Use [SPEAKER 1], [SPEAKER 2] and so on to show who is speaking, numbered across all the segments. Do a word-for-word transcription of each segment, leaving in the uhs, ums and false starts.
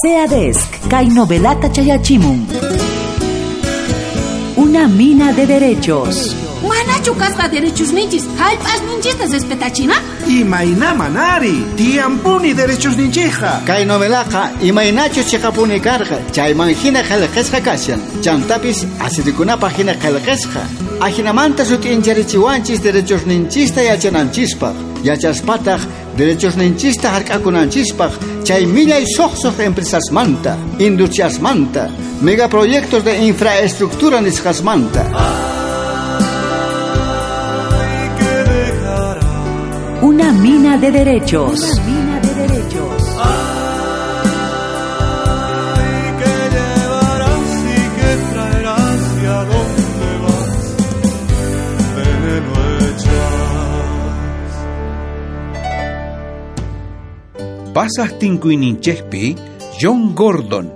[SPEAKER 1] SEADESC, kay novelata chayachimun. Una mina de derechos.
[SPEAKER 2] Manachu kasqa derechos ninchis, hallp'as ninchista respetachina?
[SPEAKER 3] Imayna manari, tiyampuni derechos ninchija.
[SPEAKER 4] Kay novelaqa imaynachus chiqapuni karqa, chayman hina qillqasqa kashan. Chantapis asirikunapaq hina qillqasqa. Ajinamanta sut'incharichiwanchis derechos ninchista yachananchispaq. Yachaspataq derechos ninchista hark'akunanchispaq, chay millay suqsuq empresasmanta, industriasmanta, megaproyectos de infraestructura nisqasmanta.
[SPEAKER 1] Una mina de derechos. Una mina de derechos.
[SPEAKER 5] Ay, que llevarás y que traerás y a dónde vas, veneno echas.
[SPEAKER 6] Pasas tinkuyninchejpi John Gordon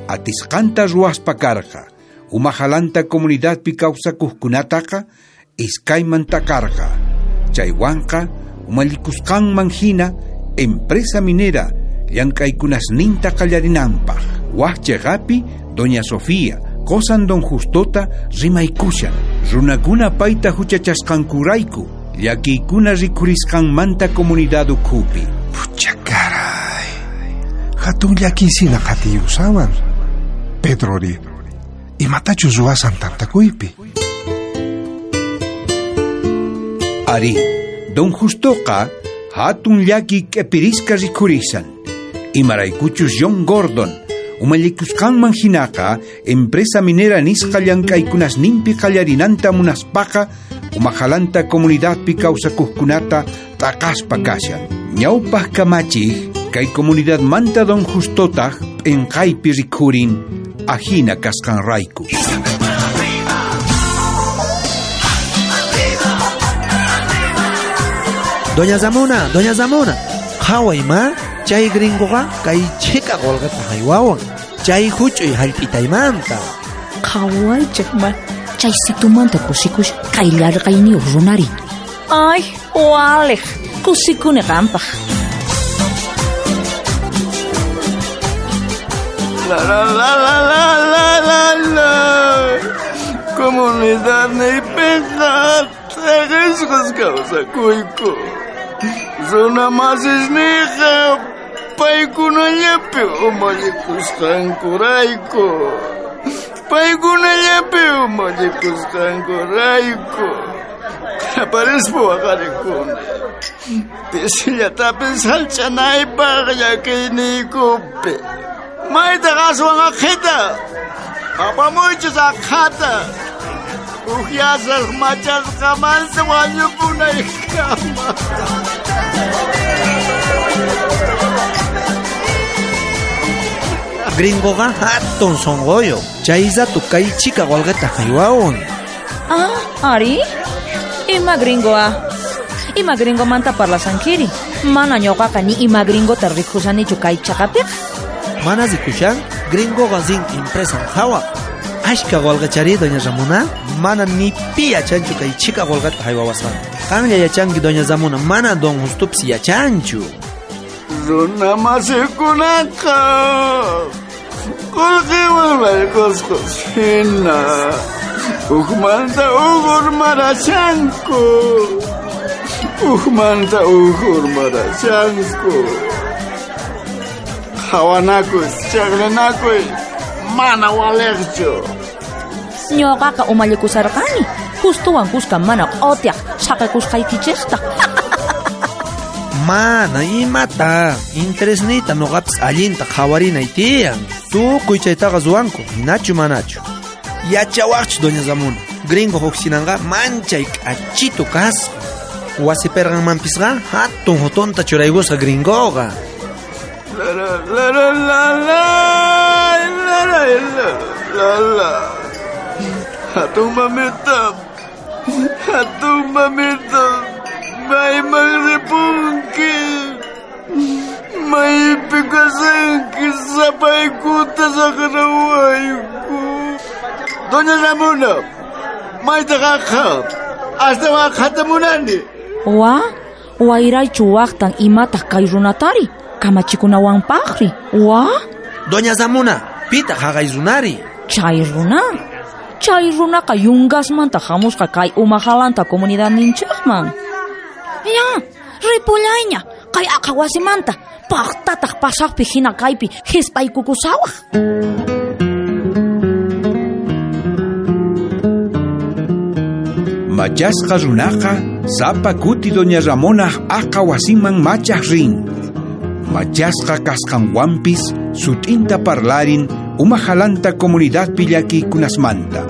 [SPEAKER 6] atisqanta ruwaspa karqa, umajalanta comunidadpi kawsakuqkunataqa iskayman takarqa. Chaywanqa umallikusqanman hina empresa minera llank'aykunasninta qallarinanpaq. Waj chayqapi doña Sofía qosan don Justota rimaykushan. Runakuna payta huchachasqankurayku llakiykuna rikhurisqanmanta comunidad ukhupi.
[SPEAKER 3] Pucha caray, hatun llakisina qatiyusawan. Pedrori, imatachus ruwasan tantakuypi.
[SPEAKER 6] Ari, don Justoqa hatun llaki k'epirisqa rikhurisan. Imaraykuchus John Gordon umallikusqanman hinaqa empresa minera nisqa llank'aykunasninpi qallarinanta munaspaqa umajalanta comunidadpi kawsakuqkunata t'aqaspa kashan. Ñawpaq kamachiq kay comunidadmanta don Justotaq p'inqaypi rikhurin ajina kasqanrayku.
[SPEAKER 7] Doña Zamona, Doña Zamona, qhaway ma, chay gringoqa kay chhika qullqita haywawan, chay huch'uy hallp'itaymanta.
[SPEAKER 8] Qhawaychik ma, chay situmanta kusikush kay llarqayniyuq runari. Ay, waliq, kusikuni qampaq.
[SPEAKER 5] La la la la la la la la. Comunidad niypiqa t'aqisqas kawsakuyku. Runa masisniyqa paykunallapi umallikusqankurayku. Paykunallapi umallikusqankurayku. Aparispa waqarikuni. Pisillatapis hallch'anaypaq llakiyniykupi. Maytaq aswan aqhita. Apamuychis aqhata. Uhyasaq machasqamanta wañupunaykama.
[SPEAKER 7] Gringoqa hatun sunquyuq, chay rato kay chhika qullqita haywawan.
[SPEAKER 8] Ah, ari? Ima gringo ah? Ima gringomanta parlasankiri? Mana ñuqaqa ni ima gringota rikhusanichu kay chaqapiqa.
[SPEAKER 7] Mana rikushan, gringoqa rin empresan qhawaq. Ashka qullqichari doña Ramona, mana ni pi yachanchu kay chhika qullqita haywawasqanta. Qanlla yachanki doña Ramona, mana don Justopis yachanchu.
[SPEAKER 5] Runa masikunaqa qullqiwan layqasqas hina hukmanta huk urmarashanku. Hukmanta huk urmarashanku. Qhawanakuy, chaqrinakuy mana waliqchu.
[SPEAKER 8] Ñuqaqa umallikusarqani, Justowan kuska mana q'otiaq saqikusqaykichikta.
[SPEAKER 7] Mana imata, interesniyta nuqapis allinta qhawarinay tiyan. Tukuy chaytaqa ruwanku, hinachu manachu. Yachawaqchu doña Ramona, gringo huksinanqa manchay k'achitu kasqa. Wasi pirqanmanpisqa hatun hutunta churaykusqa gringoqa.
[SPEAKER 5] La la la la la la la la la la. Hatun mamita, hatun mamita, mayman ripunki, maypi kasanki sapaykuta saqrawayku. Doña Ramona, maytaq aqha, astawan aqhata munani.
[SPEAKER 8] Wa, wayraychu waqtan imataq kay runatari, kamachikunawanpaqri. Wa?
[SPEAKER 7] Doña Ramona, pitaq haqay runari?
[SPEAKER 8] Chay runa. Chay runaqa yungasmanta hamusqa kay umajalanta comunidadninchikman. Ya, ripullayña, kay aqa wasimanta, paqtataq pasaqpi hina kaypi hisp'aykukusawaq.
[SPEAKER 6] Machasqa runaqa sapa kuti doña Ramona aqa wasiman machaq rin. Machasqa kasqanwanpis sut'inta parlarin umajalanta comunidadpi llakiykunasmanta.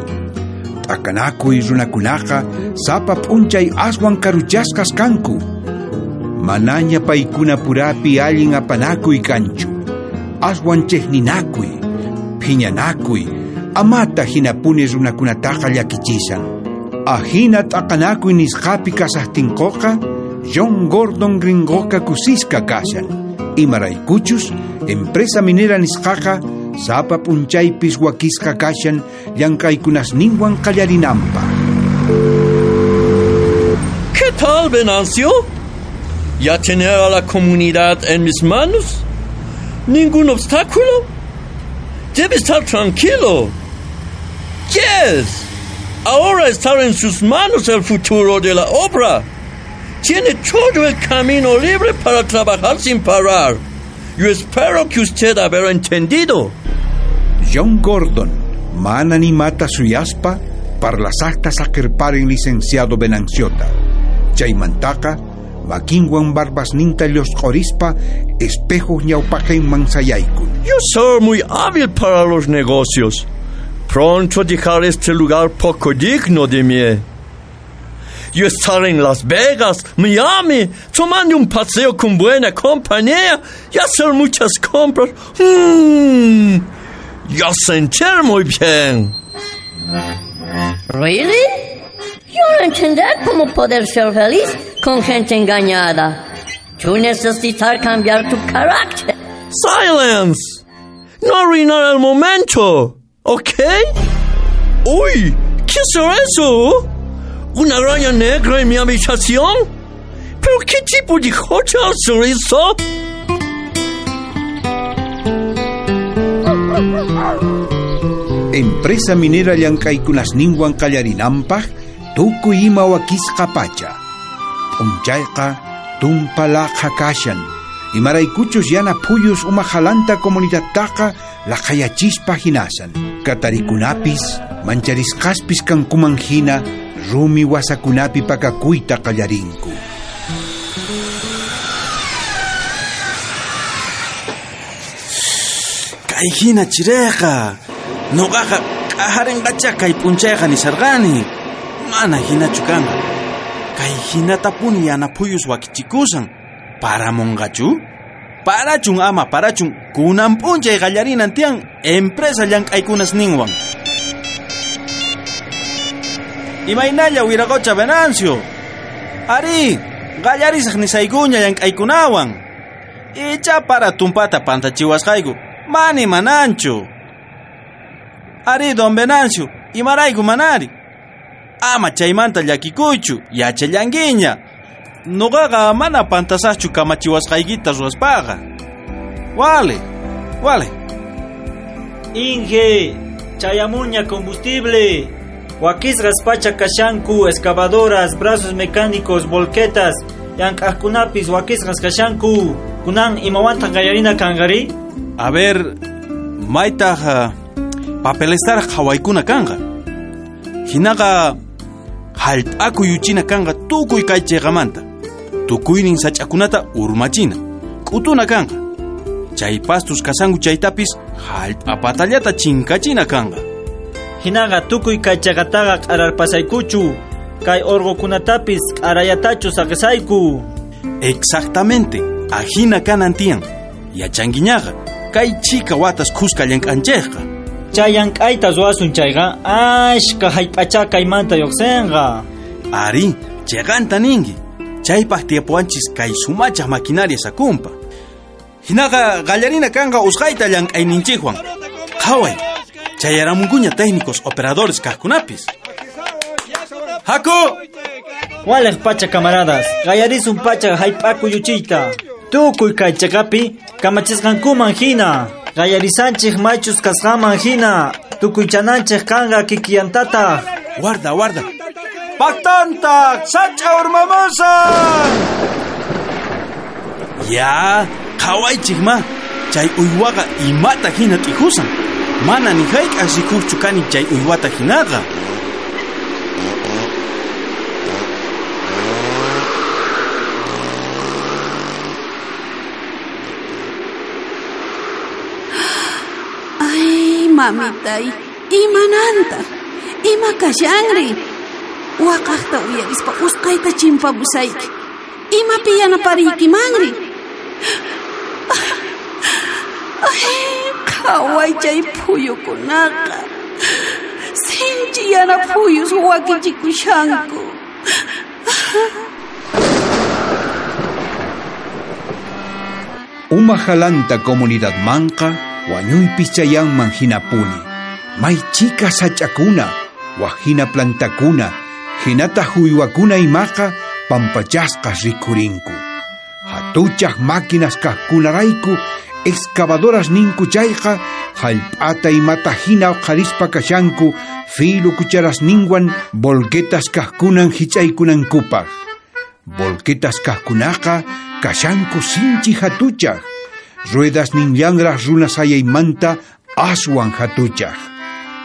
[SPEAKER 6] T'akanakuy runakunaqa sapa p'unchay aswan karuchasqas kanku. Manaña paykuna purapi allin apanakuy kanchu. Aswan chejninakuy, phiñanakuy, amata hinapuni runakunataqa llakichisan. Ajina t'aqanakuy nisqapi kasaqtinquqa, John Gordon gringoqa kusisqa kashan. Imaraykuchus, empresa minera nisqaqa sapa p'unchaypis wakisqa kashan llank'aykunasninwan qallarinanpaq.
[SPEAKER 5] ¿Qué tal, Venancio? ¿Ya tener a la comunidad en mis manos? ¿Ningún obstáculo? Debe estar tranquilo. Yes. Ahora está en sus manos el futuro de la obra. Tiene todo el camino libre para trabajar sin parar. Yo espero que usted habrá entendido.
[SPEAKER 6] John Gordon, mana ni mata suyaspa, parlasaqta saqirparen licenciado Venanciota. Chaymantaqa, makinwan barbasninta llusq'orispa, espejo ñawpaqinman sayaykun.
[SPEAKER 5] Yo soy muy hábil para los negocios. Pronto dejar este lugar poco digno de mí. Yo estar en Las Vegas, Miami, tomando un paseo con buena compañía y hacer muchas compras. Mm, yo sentir muy bien.
[SPEAKER 9] ¿Really? Yo no entender cómo poder ser feliz con gente engañada. Tú necesitas cambiar tu carácter.
[SPEAKER 5] ¡Silence! No arruinar el momento, ¿ok? ¡Uy! ¿Qué es eso? ¿Una araña negra en mi habitación? ¿Pero qué tipo de hotel es eso?
[SPEAKER 6] Empresa minera llank'aykunasninwan qallarinanpaq tukuy ima wakisqa pacha. P'unchayqa tumpa laqha kashan. Imaraykuchus yana phuyus umajalanta comunidadtaqa laqhayachispa hinasan. Katarikunapis mancharisqaspis kankuman hina rumi wasakunapi pakakuyta qallarinku.
[SPEAKER 10] Kay hina chireqa. Noqaqa k'ajarinqacha kay p'unchayqa nisarqani. Mana hinachu kanqa. Kay hinatapuni yana phuyus wakichikusan. Paramunqachu? Parachun ama parachun kunan p'unchay qallarinan tiyan empresa llank'aykunas ninwan. Imaynalla wiraqocha Venancio. Ari, qallarisaq nisaykuña llank'aykunawan. Icha para tumpata pantachiwasqayku. Mani mananchu. Ari, don Venancio, imarayku manari. Ama chaymanta llakikuychu, yachallankiña. Noqaqa mana pantasaqchu kamachiwasqaykita ruwaspaqa. Wale, wale.
[SPEAKER 11] Inge, chayamuña combustible. Wakisqas pacha kashanku, excavadoras, brazos mecánicos, volquetas, llank'aqkunapis wakisqas kashanku. Kunan imawantaq qallarina kanqari?
[SPEAKER 10] A ver, maytaq papelestaraq qhawaykuna kanqa. Hinaqa hallp'akuy yuchina kanqa tukuy kay chayqamanta. Tukuynin sach'akunata urmachina, k'utuna kanqa. Chay pastus kasanku chaytapis hallp'apatallata chinkachina kanqa.
[SPEAKER 11] Hinaqa tukuy kay chaqataqa q'ararpasaykuchu, kay urqukunatapis q'arayatachu saqisayku.
[SPEAKER 10] Exactamente, ajina kanan tiyan. Yachankiñaqa, kay chika watas khuska llank'anchejqa.
[SPEAKER 11] Chay llank'ayta ruwasun chayqa ashka hallp'acha kaymanta lluqsinqa.
[SPEAKER 10] Ari, chiqanta ninki. Chaypaq tiyapuwanchis kay sumachaq maquinaria sakumpa. Hinaqa qallarina kanqa usqhayta llank'ayninchikwan. Qhaway, chayaramunkuña técnicos operadores kaqkunapis. Haku!
[SPEAKER 11] Waliq pacha camaradas, qallarisun pacha hallp'akuy yuchiyta. Tukuy kay chaqapi kamachisqankuman hina. Qallarisanchik maychus kasqanman hina, tukuychananchik kanqa kikiyantataq.
[SPEAKER 10] Guarda, guarda. Paqtantaq, sach'a urmamusan. Ya, qhawaychik ma. Chay uywaqa imata hina t'ijusan. Mana ni hayk'aq rikuqchu kani chay uywata hinaqa.
[SPEAKER 2] Ay, mamitay, imanantaq, ima kashanri. Waqaqta uyarispa usqayta chimpapusayki. Imapi yanapariykimari. Ay, qhaway chay phuyukunaqa. Sinchi yana phuyus wakichikushanku.
[SPEAKER 6] Umajalanta comunidad manqa wañuypis chayanman hinapuni. May chika sach'akuna, wajina plantakuna, hinataq uywakuna imaqa pampachasqas rikhurinku. Hatuchaq máquinas kaqkunarayku excavadoras ninku chayqa hallp'ata imata hina uqharispa kashanku filo cucharas ninwan volquetas kaqkunan hich'aykunankupaq. Volquetas kaqkunaqa kashanku sinchi hatuchaq, ruedas ninllanraq runas hayaymanta aswan hatuchaq.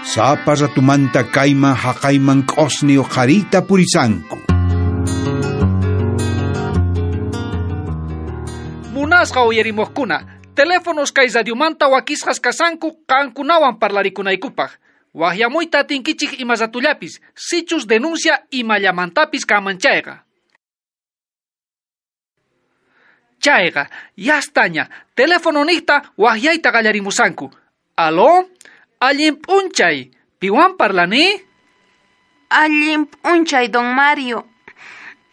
[SPEAKER 6] Sapa ratumanta kayman haqayman q'osni uqhariyta purisanku.
[SPEAKER 12] Munasqa uyarimuqkuna, teléfonos kay radiomanta wakisqas kasanku qankunawan parlarikunaykupaq. Waqyamuyta atinkichik ima ratullapis, sichus denuncia imallamantapis kanman chayqa. Chayqa, yastaña, teléfono niqta waqyayta qallarimusanku. Aló, allin p'unchay, piwan parlani?
[SPEAKER 13] Allin p'unchay, don Mario.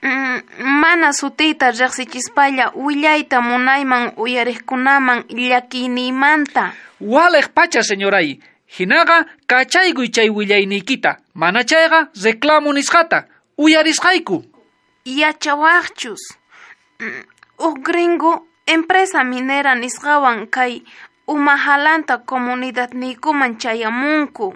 [SPEAKER 13] Mm, mana sutiyta riqsichispalla willayta munayman uyariqkunaman llakiyniymanta.
[SPEAKER 12] Waliq pacha, señoray. Hinaqa kachaykuy chay willayniykita, mana chayqa reclamo nisqata, uyarisqayku.
[SPEAKER 13] Yachawaqchus. Mm, Uj gringo empresa minera nisqawan kay Umajalanta comunidadniykuman chayamunku.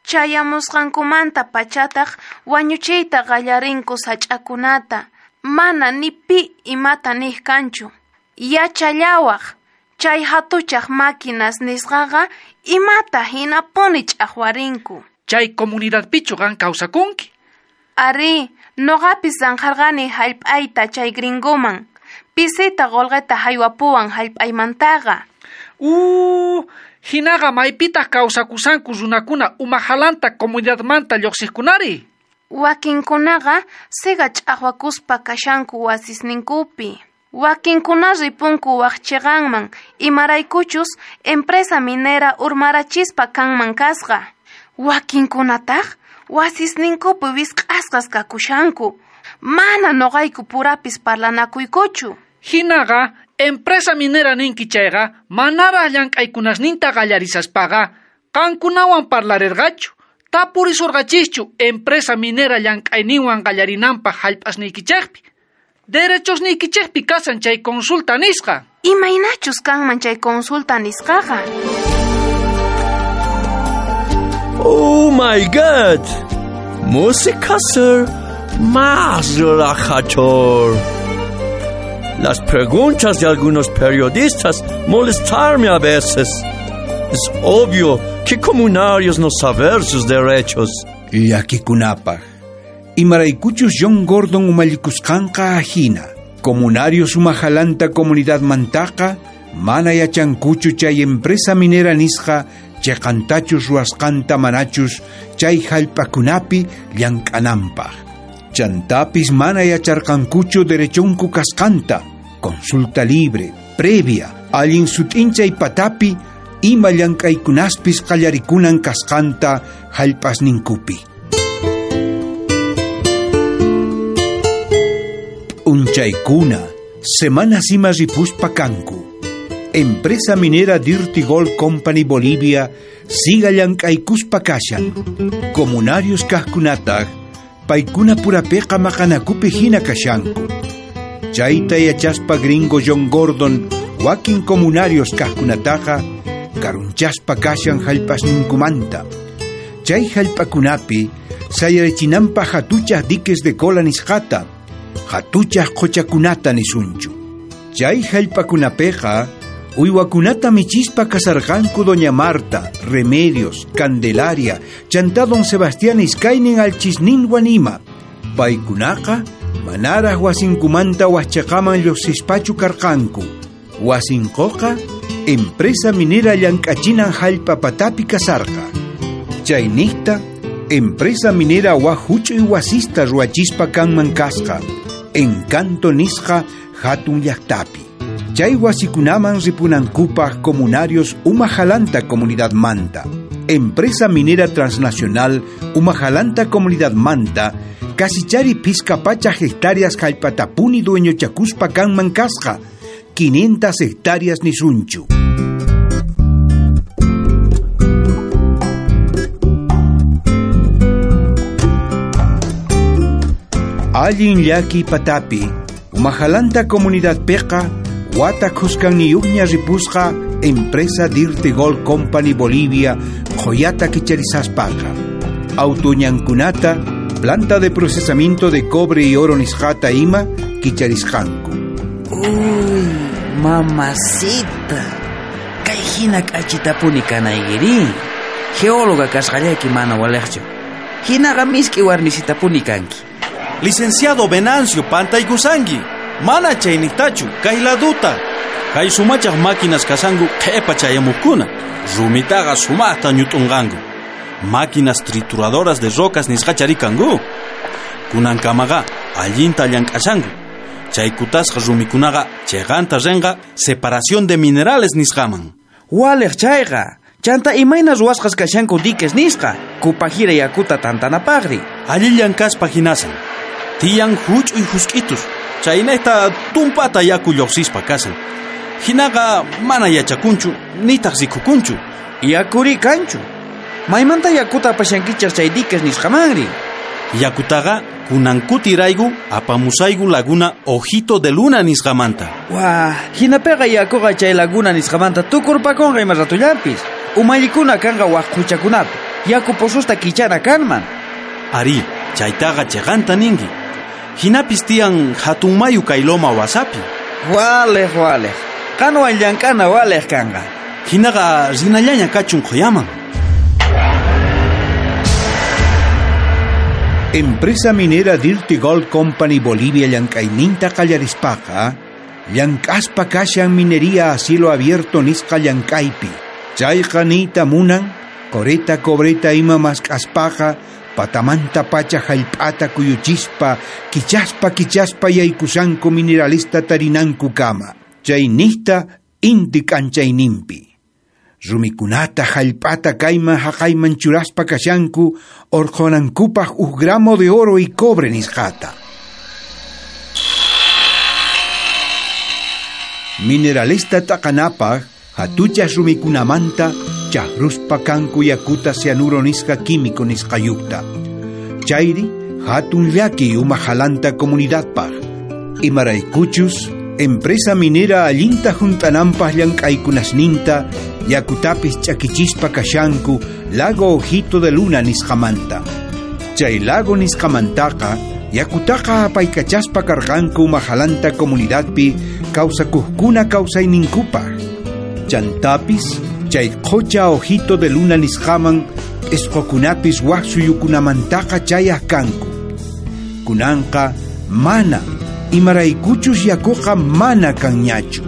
[SPEAKER 13] Chayamusqankumanta pachataq wañuchiyta qallarinku sach'akunata, mana ni pi imata niq kanchu. Yachallawaq, chay hatuchaq máquinas nisqaqa imata hinapuni ch'aqwarinku.
[SPEAKER 12] Chay comunidadpichu qan kawsakunki?
[SPEAKER 13] Ari, noqapis zanjarqani hallp'ayta chay gringoman. Pisita qolqeta haywapuwan hallp'aymantaqa.
[SPEAKER 12] Uh, hinaqa maypitaq kawsakusanku runakuna Umajalanta comunidadmanta lluqsiqkunari?
[SPEAKER 13] Wakinkunaqa siga ch'aqwakuspa kashanku wasisninkupi. Wakinkuna ripunku waq chiqanman, imaraykuchus empresa minera urmarachispa kanman kasqa. Wakinkunataq wasisninkupi wisq'asqas kakushanku. Mana noqayku purapis parlanakuykuchu.
[SPEAKER 12] Hinaqa, empresa minera ninki chayqa, manaraq llank'aykunasninta qallarisaspaqa, qankunawan parlarirqachu, tapurisurqachischu empresa minera llank'ayninwan qallarinanpaq hallp'asniykichikpi. Derechosniykichikpi kasan chay consulta nisqa.
[SPEAKER 13] Imaynachus kanman chay consulta nisqaqa?
[SPEAKER 5] Oh my God! Música, sir, más relajador. Las preguntas de algunos periodistas molestarme a veces. Es obvio que comunarios no saber sus derechos.
[SPEAKER 6] Llakikunapaq, imaraykuchus John Gordon umallikusqanqa ajina. Comunarios Umajalanta comunidad mantaqa, mana yachankuchu chay empresa minera nisqa chiqantachus ruwasqanta manachus chay hallp'akunapi llank'ananpaq. Chantapis mana yacharqankuchu derechonku kasqanta, consulta libre, previa, allin sut'inchay patapi, ima llank'aykunaspis qallarikunan kasqanta hallp'asninkupi. P'unchaykuna, semanas ima ripuspa kanku. Empresa minera Dirty Gold Company Bolivia siga llank'aykuspa kashan. Comunarios kaqkunataq paykuna purapiqa maqanakupi hina kashanku. Chayta yachaspa gringo John Gordon Wakin comunarios kajkunataqa karunchaspa kashan jallp'asninkumanta. Chay jallp'akunapi sayarichinanpaj hatuchaj diques de cola nisqata, hatuchaj qhuchakunata nisunchu. Chay jallp'akunapiqa uywakunata michispa kasarqanku Doña Marta, Remedios, Candelaria, chantá Don Sebastián iskaynin alchisninwan ima. Paykunaqa manaraj wasinkumanta wajchaqaman lluqsispachu karqanku. Wasinquqa empresa minera llank'achinan jallp'a patapi kasarqa. Chayniqta empresa minera waj huch'uy wasista ruwachispa kanman kasqa, Encanto nisqa hatun llaqtapi. Chay wasikunaman ripunankupaj comunarios Umajalanta comunidad manta. Empresa minera transnacional Umajalanta comunidad manta, kasichari pizca pachaj hectáreas jallp'atapuni dueñochakuspa kanman kasqa, quinientas hectáreas nisunchu. Allin llaki patapi, Umajalanta comunidad peqa, wata khuskaniyuqña ripusqa empresa Dirty Gold Company Bolivia qhoyata kicharisaspaqa. Autuñankunata, planta de procesamiento de cobre y oro nisqata ima kicharisqanku.
[SPEAKER 14] Uy, mamacita, kay hina k'achitapuni kanaykiri. Geóloga kasqallayki mana waliqchu. Hinaqa misk'i warmisitapuni kanki.
[SPEAKER 10] Licenciado Venancio pantaykusanki. Mana chayniqtachu, kay laduta. Kay sumachaj máquinas kasanku qhepa chayamuqkuna. Rumitaqa sumaqta ñut'unqanku. Máquinas trituradoras de rocas nisqachari kanku. Kunankamaqa allinta llank'ashanku. Chay kutasqa rumikunaqa chayqanta rinqa separación de minerales nisqaman.
[SPEAKER 14] Waliq chayqa. Chanta imayna ruwasqas kashanku diques nisqa, kupajira yakuta tantanapaqri.
[SPEAKER 10] Allillan kaspa hinasan. Tiyan huch'uy husk'itus. Chaynayta tumpata yaku lluqsispa kasan. Hinaqa mana yachakunchu, nitaq rikukunchu.
[SPEAKER 14] Yakuri kanchu. Maymanta yakuta apashankichaq chay diques nisqamanri.
[SPEAKER 10] Yakutaqa kunankutirayku apamusayku laguna Ojito de Luna nisqamanta.
[SPEAKER 14] Wah, hinapiqa yakuqa chay laguna nisqamanta tukurpakunqa ima ratullampis. Umallikuna kanqa wak quchakunapi. Yaku pozosta kichana kanman.
[SPEAKER 10] Ari, chaytaqa chiqanta ninki. Hinapis tiyan hatun mayu kay loma wasapi.
[SPEAKER 14] Waliq, waliq. Qanwan llank'ana waliq kanqa.
[SPEAKER 10] Hinaqa rinallaña kachun qhuyaman.
[SPEAKER 6] Empresa minera Dirty Gold Company Bolivia llank'ayninta qallarispaqa, llank'aspa kashan minería a cielo abierto nisqa llank'aypi. Chayqa niyta munan, qoreta cobreta ima mask'aspaqa, patamanta pacha jallp'ata kuyuchispa, kichaspa kichaspa yaykusanku mineralista tarinanku kama. Chayniqta inti k'anchayninpi. Rumikunata jallp'ata kayman haqayman churaspa kashanku orqhunankupaj uj gramo de oro y cobre nisqata. Mineralista t'aqanapaj hatuchas rumikunamanta chaqruspa kanku yakuta cianuro nisqa químico nisqayuqta. Chayri hatun llaki Umajalanta comunidadpaj. Imaraykuchus empresa minera allinta junt'ananpaj llank'aykunasninta yakutapis ch'akichispa kashanku lago Ojito de Luna nisqamanta. Chay lago nisqamantaqa yakutaqa apaykachaspa karqanku Umajalanta comunidadpi kawsakuqkuna kawsayninkupaj. Chantapis chay qhucha Ojito de Luna nisqaman p'isqukunapis wak suyukunamantaqa chayaq kanku. Kunanqa mana imaraykuchus yakuqa mana kanñachu.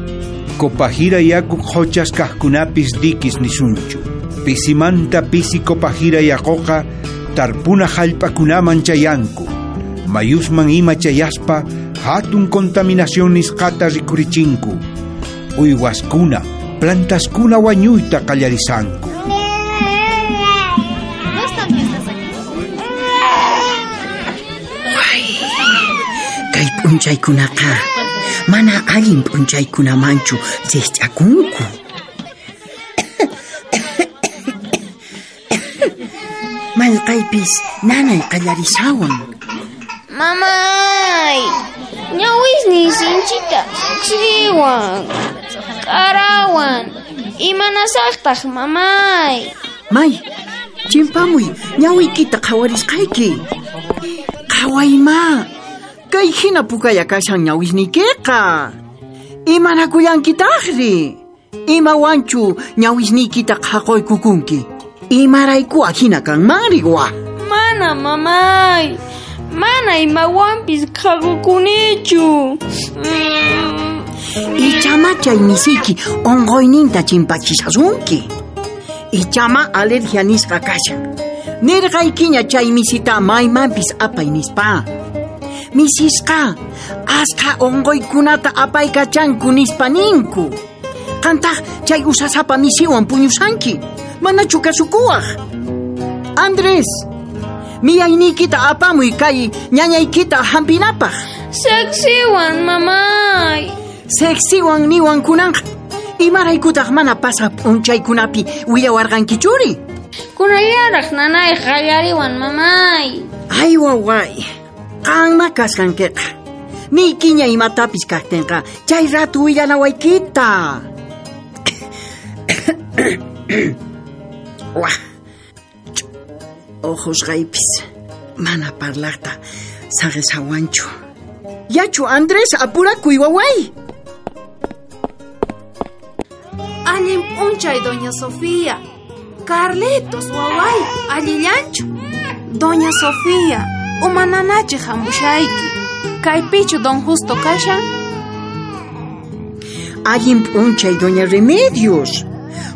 [SPEAKER 6] Kopajira yaku qhuchas kaqkunapis dikis nisunchu. Pisimanta pisi kopajira yakuqa tarpuna jallp'akunaman chayanku. Mayusman ima chayaspa hatun contaminación nisqata rikurichinku. Uywaskuna, plantaskuna wañuyta qallarisanku.
[SPEAKER 15] Kay p'unchaykunaqa mana allin p'unchaykunamanchu riqch'akunku. Mallqaypis nanay qallarisawan.
[SPEAKER 16] Mamay, ñawisniy sinchita chiriwan. k'arawan. Imanasaqtaq, mamay?
[SPEAKER 15] May, chimpamuy, ñawiykita qhawarisqayki. Qhawayma, kay hina pukaya kashan ñawisniykiqa. Imanakullankitaqri? Imawanchu ñawisniykita qhaqoykukunki? Imarayku ahina kanmanri wa?
[SPEAKER 16] Mana, mamay. Mana imawanpis qhaqokunichu. Mm.
[SPEAKER 15] Ichama chay misiki onqoyninta chimpachishasunki. Ichama alergia nisqa kashan. Nirqaykiña chay misita maymanpis apay nispa. Misisqa asqa onqoykunata apaykachanku nispa ninku. Qantaq chay usasapa misiwan puñusanki. Manachu kasukuwaq? Andrés, miyayniykita apamuy kay ñañaykita hampinapaq.
[SPEAKER 16] Sexiwan, mamay.
[SPEAKER 15] Sexiwan niwan kunanqa. Imaraykutaq mana pasaq p'unchaykunapi willawarqankichuri?
[SPEAKER 16] Kunallaraq nanay qallariwan, mamay.
[SPEAKER 15] Ay, waway. Qanma kasqankiqa. Niykiña imatapis kaqtinqa chay ratu willanawaykita. Wah. Ojosqaypis mana parlaqta saqishawanchu. Yachu, Andrés, apurakuy waway.
[SPEAKER 13] Allin p'unchay, doña Sofía. Carlitos, waway, allillanchu. Doña Sofía, umananachi hamushayki. Kaypichu don Justo kashan?
[SPEAKER 15] Allin p'unchay, doña Remedios.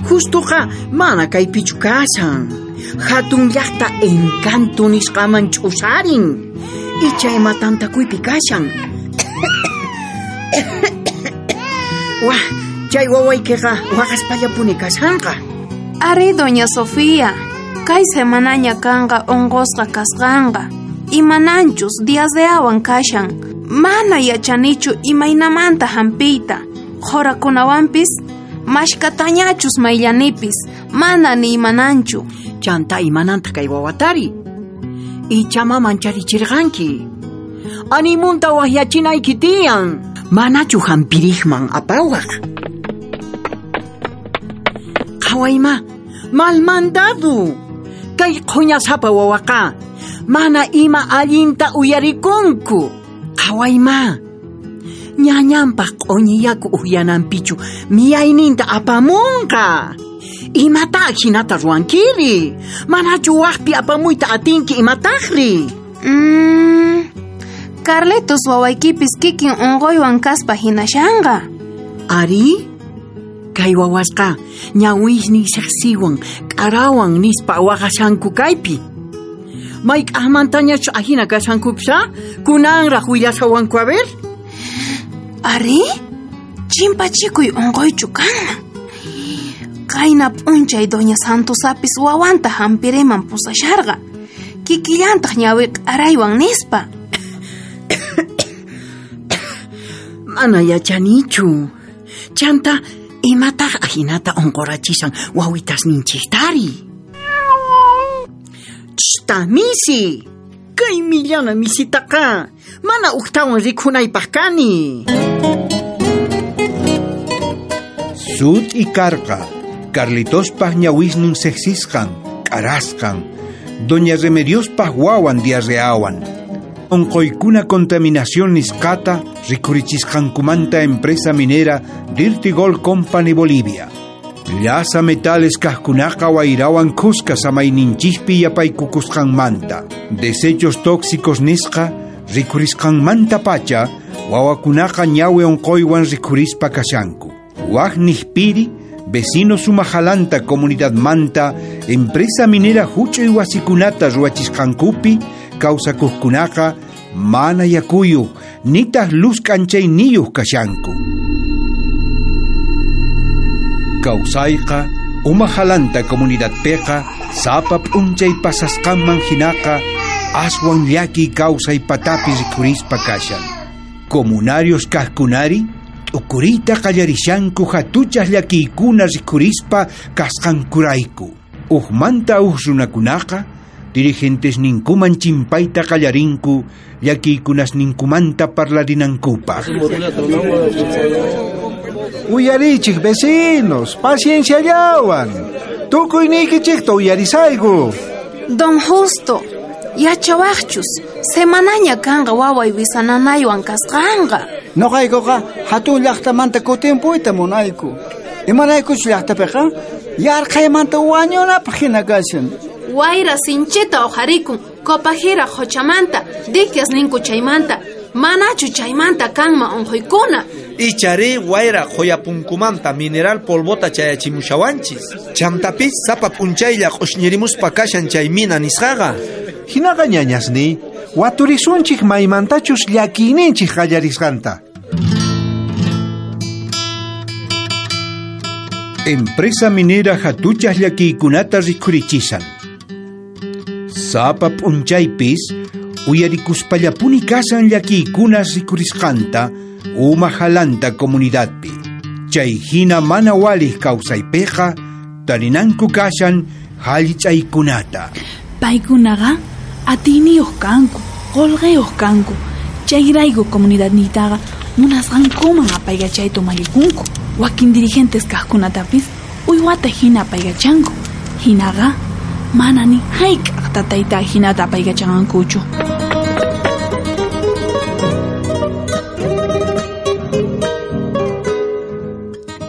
[SPEAKER 15] Justoqa mana kaypichu kashan. Hatun llaqta encanto nisqaman ch'usarin. Icha ima tantakuypi kashan. Wah, chay wawaykiqa waqaspallapuni kashanqa.
[SPEAKER 13] Ari, doña Sofía, kay semanaña kanqa unqusqa kasqanqa. Imananchus diarreawan kashan. Mana yachanichu imaynamanta hampiyta. Qhurakunawanpis mashkatañachus mayllanipis, mana ni imananchu.
[SPEAKER 15] Chanta imananta kay wawatari. Ichama mancharichirqanki. Animunta wahyachinayki tiyan. Manachu hampiriqman apawaq. Qhawayma, mal mandado. Kay qhuñasapa wawaqa mana ima allinta uyarikunku. Qhawayma, ñañanpaq q'uñi yaku uyananpichu miyayninta apamunqa. Imata hinata ruwankiri? Manachu waqpi apamuyta atinki imataqri?
[SPEAKER 13] Mm, Carlitos wawaykipis kikin unquywan kaspa hinashanqa.
[SPEAKER 15] Ari, kay wawasqa ñawisnin siqsiwan k'arawan nispa waqashanku kaypi. Mayk'aqmantañachu ahina kashankupis, a? Kunanraq willashawanku a ver.
[SPEAKER 13] Ari, chimpachikuy unquychu kanman. Qayna p'unchay doña Santosapis wawanta hampiriman pusasharqa. Kikillantaq ñawi k'araywan nispa.
[SPEAKER 15] Mana yachanichu. Chanta imataq ahinata unqurachishan wawitasninchiktari. Chta misi. Kay millana misitaqa mana uqtawan rikhunaypaq kani.
[SPEAKER 6] Sut'i karqa, Carlitospaq ñawisnin sexisqan, k'arasqan, doña Remediospaq wawan diarreawan. Onqoykuna contaminación nisqata rikurichisqankumanta empresa minera Dirty Gold Company Bolivia. Llasa metales kajkunaqa wayrawan khuska samayninchikpi yapaykukusqanmanta. Desechos tóxicos nisqa rikurisqanmanta pacha wawakunaqa ñawi onqoywan rikurispa kashanku. Waj nijpiri, vecino sumajalanta comunidad manta, empresa minera huch'uy wasikunata ruwachisqankupi kawsakuqkunaqa mana yakuyuq nitaq luz k'anchayniyuq kashanku. Kawsayqa umajalanta comunidadpiqa sapa p'unchay pasasqanman hinaqa aswan llaki kawsay patapi rikurispa kashan. Comunarios kaqkunari t'ukuriyta qallarishanku hatuchaq llakiykuna rikurispa kasqankurayku. Ujmanta uj runakunaqa dirigentes ninkuman chimpayta qallarinku llakiykunasninkumanta parlarinankupaq.
[SPEAKER 3] Uyarichik vecinos, pacienciallawan. Tukuyniykichikta uyarisayku.
[SPEAKER 13] Don Justo, yachawaqchus, semanaña kanqa waway wisananaywan kasqanqa.
[SPEAKER 4] Noqaykuqa hatun llaqtamanta kutimpuyta munayku. Imaraykuchu llaqtapiqa yarqhaymanta wañunapaq hina kashan.
[SPEAKER 13] Wayra sinchita uqharikun Copajira qhochamanta, diquias ninku chaymanta, manachu chaymanta kanman unquykuna.
[SPEAKER 7] Ichari wayra qhuyapunkumanta mineral polvota chayachimushawanchis. Chantapis sapa p'unchaylla q'ushñirimuspa kashan chay mina nisqaqa.
[SPEAKER 3] Hinaqa ñañasni, waturisunchik maymantachus llakiyninchik qallarisqanta.
[SPEAKER 6] Empresa minera hatuchas llakiykunata rikhurichisan. Sapa p'unchaypis uyarikuspallapuni kasan llakiykunas rikhurisqanta uma jalanta comunidadpi. Chay hina mana walij kawsaypiqa tarinanku kashan hallich'aykunata.
[SPEAKER 13] Paykunaqa atiyniyuq kanku, qullqiyuq kanku. Chayrayku comunidadniytaqa munasqankuman apaykachayta umallikunku. Wakin dirigentes kaqkunatapis uywata hina apaykachanku. Hinaqa mana ni hayk'aq tatayta hinata apaykachanqankuchu.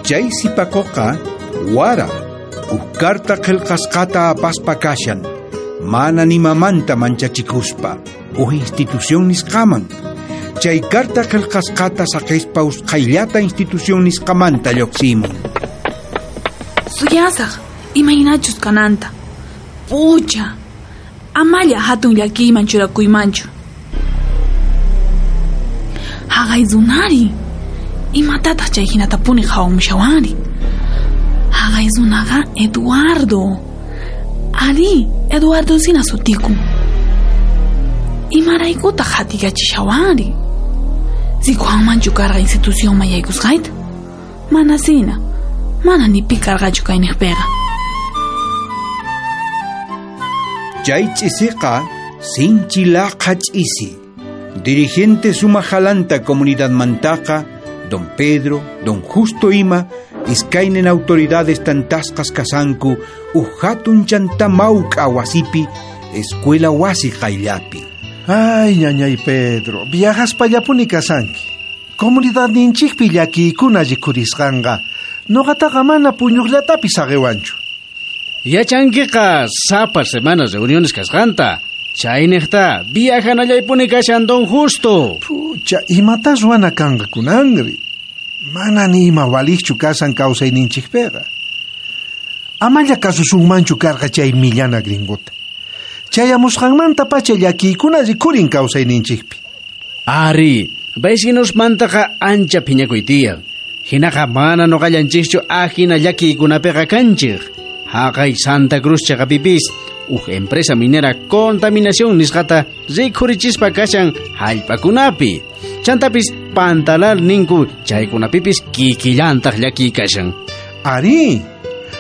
[SPEAKER 6] Chay sipakuqa wara uj carta qillqasqata apaspa kashan mana nimamanta manchachikuspa uj institución nisqaman. Chay carta qillqasqata saqispa usqhayllata institución nisqamanta lluqsimun.
[SPEAKER 13] Suyasaq imaynachus kananta. Pucha, amalla hatun llakiyman churakuymanchu. Haqay runari, imatataq chay hinatapuni qhawamushawari. Haqay runaqa Eduardo. Ari, Eduardo sina sutikun. Imaraykutaq hatikachishawari. Rikuwanmanchu karqa institucionman yaykusqayta? Mana sina, mana ni pi karqachu kayniqpiqa.
[SPEAKER 6] Chay ch'isiqa sinchi laqha ch'isi. Dirigente sumajalanta comunidadmantaqa don Pedro, don Justo ima iskaynin autoridades tantasqas kasanku uj hatun chanta mawk'a wasipi escuela wasi qayllapi.
[SPEAKER 3] Ay, ñañay Pedro, viajaspallapuni kasanki. Comunidadninchikpi llakiykuna rikhurisqanqa noqataqa mana puñuqllatapis saqiwanchu.
[SPEAKER 17] Yachankiqa sapa semana reuniones kasqanta. Chayniqta viajanallaypuni kashan don Justo.
[SPEAKER 3] Pucha, imata ruwana kanqa kunanri. Mana ni ima walijchu kasan kawsayninchikpiqa. Amalla kasusunmanchu karqa chay millana gringota. Chayamusqanmanta pacha llakiykuna rikhurin kawsayninchikpi.
[SPEAKER 17] Ari, vecinosmantaqa ancha phiñakuy tiyan. Hinaqa mana noqallanchikchu ajina llakiykunapiqa kanchik. Haqay Santa Cruz chaqapipis uj empresa minera contaminación nisqata rikhurichispa kashan hallp'akunapi. Chantapis pantalal ninku chaykunapipis kikillantaq llakiy kashan.
[SPEAKER 3] Ari,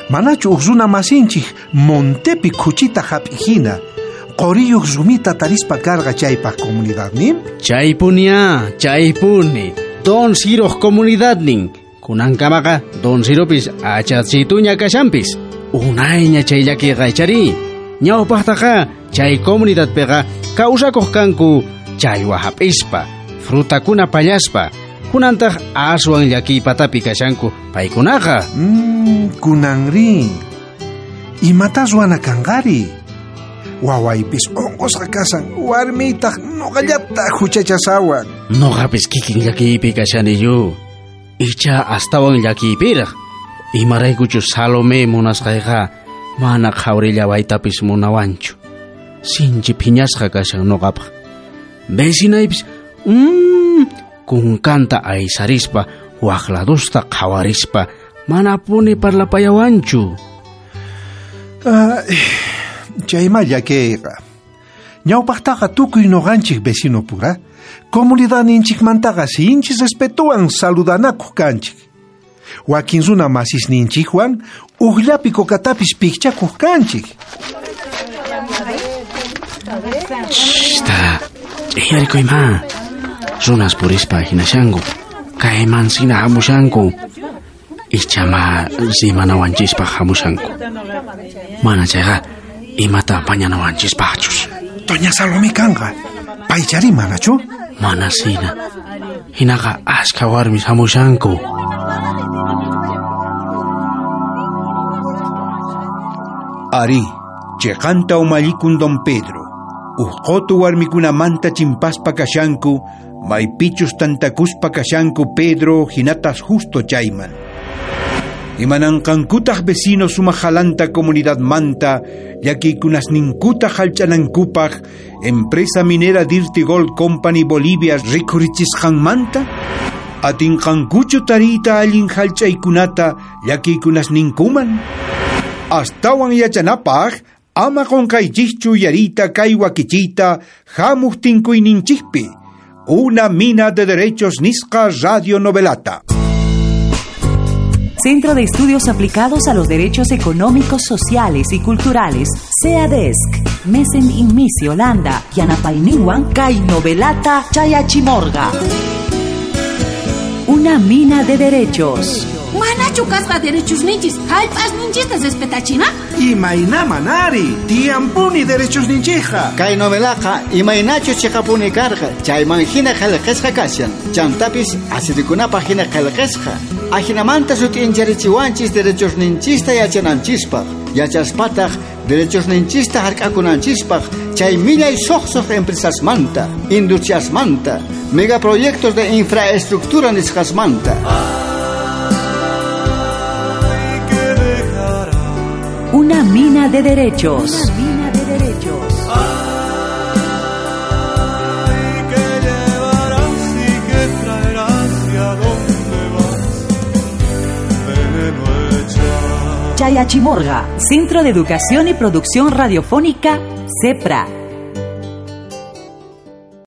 [SPEAKER 3] manachu uj runa masinchik montepi khuchita hap'ijina qoriyuq rumita tarispa karqa chaypaq comunidadnin?
[SPEAKER 17] Chaypunia, chaypuni. Don Ciroq comunidadnin. Kunankamaqa Don Ciropis achachituña kashanpis. Unayña chay llakiyqa ichari. Ñawpaqtaqa chay comunidadpiqa kawsakuq kanku challwa hap'ispa, frutakuna pallaspa. Kunantaq aswan llakiypatapi kashanku paykunaqa.
[SPEAKER 3] Mm, kunanri. Imata ruwana kanqari? Wawaypis unqusqa kasan, warmiytaq noqallata huchachasawan.
[SPEAKER 17] Noqapis kikin llakiypi kashaniyu. Icha astawan llakiypiraq. Imaraykuchu Salomé munasqayqa mana qhawrillawaytapis munawanchu. Sinchi phiñasqa kashan noqapaq. Vecinaypis mm, kunkanta aysarispa waqladusta qhawarispa manapuni parlapayawanchu.
[SPEAKER 3] Ay, chayma llakiyqa. Ñawpaqtaqa tukuy noqanchik vecino pura, comunidadninchikmantaqa sinchi respetuwan saludanakuq kanchik. Wakin runa masisninchikwan ujllapi kokatapis pikchakuq kanchik.
[SPEAKER 17] Shta, ch'iyarikuyma. Runas purispa hinashanku. Kayman sina hamushanku. Ichama rimanawanchispaq hamushanku. Mana chayqa imata mañanawanchispaqchus.
[SPEAKER 3] Doña Salomé kanqa. Paychari manachu?
[SPEAKER 17] Mana sina. Hinaqa ashka warmis hamushanku.
[SPEAKER 6] Ari, cheqanta umallikun don Pedro. Uqotu warmikunamanta chimpaspa kashanku, maypichus tantakuspa kashanku Pedro hinatas justo chayman. Imananqankutaq vecino sumajalanta comunidad manta, llakiykunasninkuta hallch'anankupaq, empresa minera Dirty Gold Company Bolivia rikhurichisqanmanta, atinqankuchu tariyta allin hallch'aykunata llakiykunasninkuman. Astawan yachanapaq, ama qunqaychikchu yariyta kay wakichiyta hamuq tinkuyninchikpi. Una mina de derechos nisqa radio novelata.
[SPEAKER 1] Centro de Estudios Aplicados a los Derechos Económicos, Sociales y Culturales, CEADESC, Mesen Inmisi, Holanda, Yanapayninwan, Kay Novelata, Chayachimorga. Una mina de derechos.
[SPEAKER 2] Manachu kasqa derechos ninchis, hallp'as ninchista respetachina?
[SPEAKER 3] Imayna manari, tiyampuni derechos ninchija.
[SPEAKER 4] Kay novelaqa imaynachus chiqapuni karqa, chayman hina qillqasqa kashan, chantapis asirikunapaq hina qillqasqa. Ajinamanta sut'incharichiwanchis derechos ninchista yachananchispaq, yachaspataq derechos ninchista hark'akunanchispaq, chay millay suqsuq empresasmanta, industriasmanta, megaproyectos de infraestructura nisqasmanta.
[SPEAKER 1] Una mina de derechos. Una mina de derechos.
[SPEAKER 18] Ay, que llevarás y que traerás y a dónde vas, veneno hecha.
[SPEAKER 1] Chayachimorga, Centro de Educación y Producción Radiofónica, CEPRA.